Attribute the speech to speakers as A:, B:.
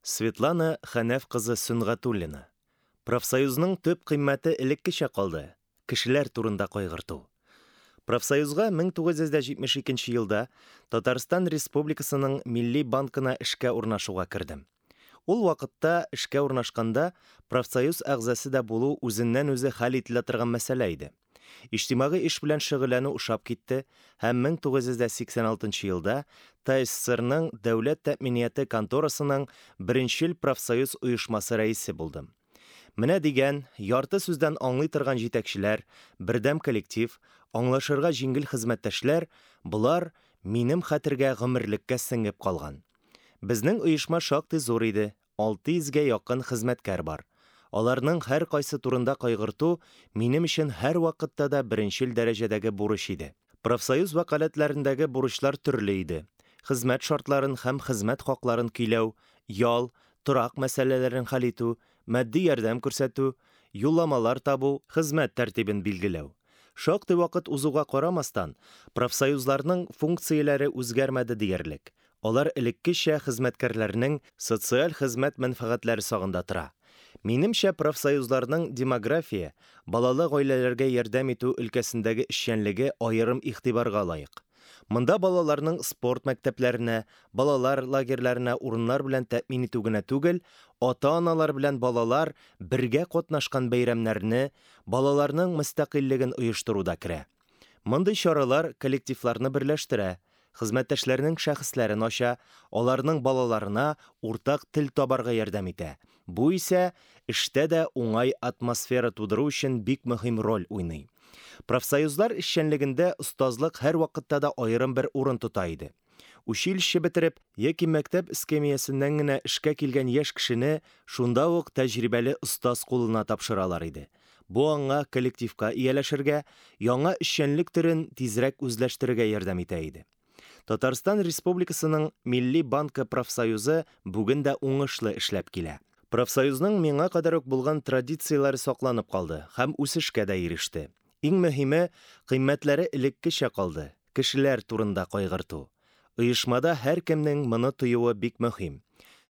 A: Светлана Хәнәф кызы Сөнгатуллина. Профсоюзның төп кыйммәте элеккечә калды, кешеләр турында кайгырту. Профсоюзга 1972 елда Татарстан Республикасының Милли банкына эшкә урнашуга кердем. Ул вакытта эшкә урнашканда профсоюз әгъзасы да булу үзеннән-үзе хәл ителә торган мәсьәлә иде. Иҗтимагый эш белән шөгыльләнү ошап китте һәм 1986 елда ТАССРның Дәүләт тәэминияте конторасының беренчел профсоюз оешмасы рәисе булдым. Менә дигән, ярты сүздән аңлый торган җитәкчеләр, бердәм коллектив, аңлашырга җиңел хезмәттәшләр, болар минем хәтергә гомерлеккә сеңеп калган. Безнең оешма шактый зур иде, 600 гә якын хезмәткәр бар. Аларның һәркайсы турында кайгырту минем өчен һәрвакытта да беренчел дәрәҗәдәге бурыч иде. Профсоюз вәкаләтләрендәге бурычлар төрле иде, хезмәт шартларын һәм хезмәт хакларын көйләү, ял, торак мәсьәләләрен хәл итү, матди ярдәм күрсәтү, юлламалар табу, хезмәт тәртибен билгеләү. Шактый вакыт узуга карамастан, профсоюзларның функцияләре үзгәрмәде диярлек. Алар элеккечә хезмәткәрләрнең социаль-хезмәт мәнфәгатьләре сагында тора. Минемчә, профсоюзларның демография, балалы гаиләләргә ярдәм итү өлкәсендәге эшчәнлеге аерым игътибарга лаек. Монда балаларның спорт мәктәпләренә, балалар лагерьларына урыннар белән тәэмин итү генә түгел, ата-аналар белән балалар бергә катнашкан бәйрәмнәрне, балаларның мөстәкыйльлеген оештыру да керә. Мондый чаралар коллективларны берләштерә, хезмәттәшләрнең шәхесләрен ача, аларның балаларына уртак тел табарга ярдәм итә. Бу исә эштә дә уңай атмосфера тудыру өчен бик мөһим роль уйный. Профсоюзлар эшчәнлегендә остазлык һәрвакытта да аерым бер урын тота иде. Училище бетереп яки мәктәп эскәмиясеннән генә эшкә килгән яшь кешене шунда ук тәҗрибәле остаз кулына тапшыралар иде. Бу аңа коллективка ияләшергә, яңа эшчәнлек төрен тизрәк үзләштерергә ярдәм итә иде. Татарстан Республикасының Милли банкы профсоюзы бүген дә уңышлы эшләп килә. Профсоюзның миңа кадәр үк булган традицияләре сакланып калды һәм үсешкә дә иреште. Иң мөһиме, кыйммәтләре элеккечә калды, кешеләр турында кайгырту. Оешмада һәркемнең моны тоюы бик мөһим.